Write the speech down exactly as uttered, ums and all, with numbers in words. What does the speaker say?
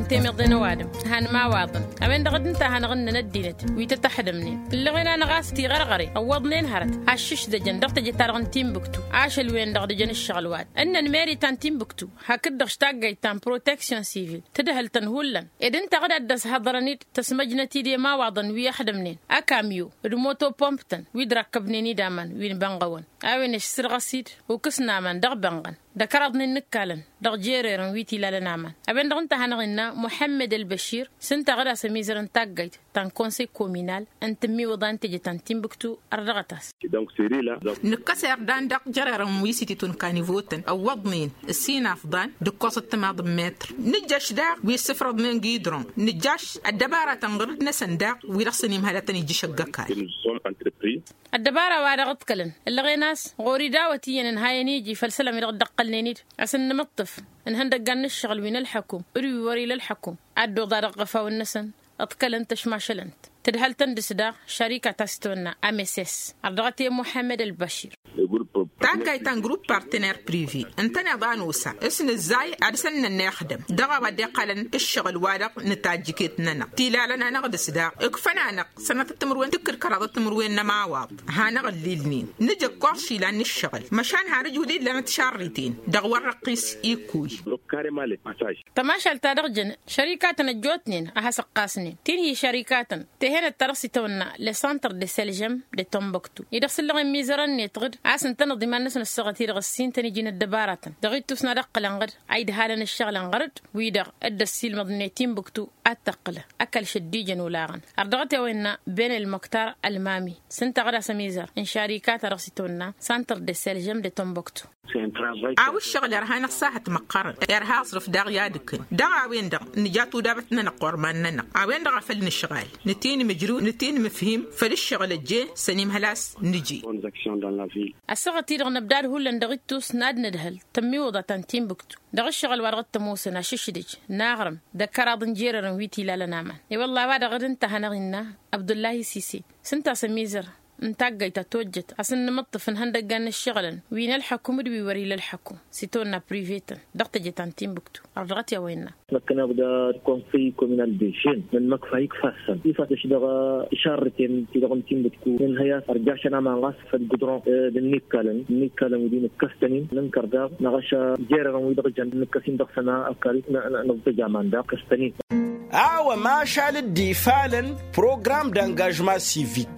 Temiḍen ăwadǝm han imawaḍăn a-wen-dăɣ d-ǝnta a hanăɣ-ǝnnăn ăddinăt wi tăt-ăxdămnen ǝllăɣen-anăɣ a-s tiɣărɣăre ăwwăḍnen hărăt aššǝšdăjăn dăɣ-teje-ta-dăɣ n-timbuktu. Ašăl-wen-dăɣ dăjăn ǝššăɣǝl wa-dăɣ ǝnnăn meri ta n-timbuktu hakd-dăɣ š-taggayt ta n-proteksyon sivil tǝdhǝl-tăn hullan ed ǝnta a ɣǝd-ad-dd-ăshăḍărăn-dd tăsmăjnăt-dd i-imawaḍăn wi ăxdămnen ăkamyo d-moto pomp-tăn wi d-rakkăbnen-dd aman wi n-bănɣăwăn. A-wen ăšsǝrɣăs-dd ukǝs n-aman dăɣ-bănɣăn d-ăkăraḍnen n-ǝkkalăn dăɣ-jererăn wi t-ilalăn aman. A-wen-dăɣ ǝnta a hanăɣ-innă muḥămmăd ălbăšir s-ǝnta a ɣǝd-as ămizăr n-taggayt ta n-konsăy kominal n-tǝmmiwǝḍa n-teje ta n-timbuktu. Ărdăɣăt-as. Nǝkkăs irdan dăɣ-jererăn wi s-ititun kanivotăn ăwwăḍnen ǝssin afḍan d-ǝkkoẓăt timaḍ n-metr. Nǝjjăš daɣ wi ǝssǝfrăḍnen gidron nǝjjaš ăddăbaratăn ɣǝrǝd-năsăn daɣ wi-dăɣ săn imhălătăn ijjǝš ăgg-ăkall. Ăddăbara wa dăɣ-ǝḍkălăn ǝllăɣen a-s ɣur-i dawăt iyyăn ǝnhayăn iji făll-isălan wi dăɣ-dd-ăqqălnen-dd a-s ǝnnǝmǝṭṭǝf ǝnhăndăggan n-ǝššăɣǝl wi n-ălḥăkum d-wi wăr-ila ălḥăkum ad-dd-oḍa dăɣ-iɣăfawăn-năsăn. Ǝḍkălăn-t ăšmašălăn-t tǝdhăl-tăn dăɣ-s daɣ šărika ta s-tawănna ameses. Ărdăɣăt i-muḥămmăd ălbăšir. Taggayt ta n-grupp partener prive ǝntăneḍ a nosa s-nǝzzay ad-săn-nănna ixdăm dăɣ-a-wa dd-iqqălăn ǝššăɣǝl-wa-dăɣ n-tajjǝket-nănăɣ tilalăn-anăɣ dăɣ-s daɣ ǝkfăn-anăɣ sănătăt timǝrwen tǝkkǝd kăraḍăt timǝrwen n-ămawaḍ. Hanăɣ-ǝllilnen nǝjăkkoẓ išilan n-ǝššăɣǝl măšan hanǝj wăr-illanăt šarriten dăɣ-wăr răqqis ikkuy. Tămašalt ta dăɣ-jăn šărikatăn ăjjootnen a has-ǝqqasnen ti n-hi šărikatăn tehenăt ta dăɣ-s itawănna le santăr de sălžăm de tombăktu-i-dăɣ s-ǝllăɣen mizărăn-net ɣǝd a-s ǝntăneḍ iman-năsăn ăssaɣăt-i-dăɣ ǝssintăn iji n-ăddăbaratăn dăɣ-ittus n-ad-ǝqqǝlăn ɣǝd a idhalăn ǝššăɣǝlăn ɣărăd wi-dăɣ dd-ăssiilmăḍnen timbuktu ad-tăqqǝlăn ăkall šăddijăn olaɣăn. Ărdăɣăt i-a-wa innă ben ălmăktar ălmami s-ǝnta ɣǝd a-s ămizăr n-šarikatăn dăɣ-s itawănna santăr de sălžăm de tombăktu. A-wa ǝššăɣǝl irha-năɣ sahăt măqqărăn irha aẓrǝf daɣ i-ad-ǝkkǝn dăɣ-a-wen-dăɣ nǝja tudabăt-nănăɣ ɣur-iman-nănăɣ. A-wen-dăɣ a făl nǝšɣal nǝtǝy n-imǝjrǝw nǝtǝy n-imǝfhim făll-ǝššăɣǝl ăjjeen săn imhăl a-s nǝji. Ăssaɣăt-i-dăɣ năbdad hullan dăɣ-ittus n-ad-nǝdhăl tămmiwǝḍa ta n-timbuktu dăɣ-ǝššăɣǝl wa dăɣ-t-ămoosăn ašǝšdǝj n-aɣrǝm d-ăkkăraḍ n-jerărăn wi t-ilalăn aman. I-wălla a-wa-dăɣ dd-ǝnta a hanăɣ-innă abdullahi sise s-ǝnta a-s ămizăr n-taggayt ta tojjăt a-s ǝnnǝmǝṭṭǝf ǝnhăndăggan n-ǝššăɣǝlăn wi n-ălḥăkum d-wi wăr-ila ălḥăkum s-itawănna privetăn dăɣ-teje ta n-timbuktu. Ărdăɣăt i-a-wa innă. Măkkăneḍ d-konsăy kominal de žen n-măkfa ikfasăn ifasăš dăɣ-išarrǝten ti-dăɣ n-timbuktu n-inhăy a-s ărjašăn aman ɣas făll-gudron d-ǝnnikkalăn ǝnnikkalăn wi d-inǝkkăstăn-in nǝnkăr daɣ năɣăš jerărăn wi dăɣ-jăn nǝkkăs-in dăɣ-săn ăkall. Nǝẓẓăj aman daɣ kăstăn-in. A-wa mašal dd-ifalăn program d-angažma sivik.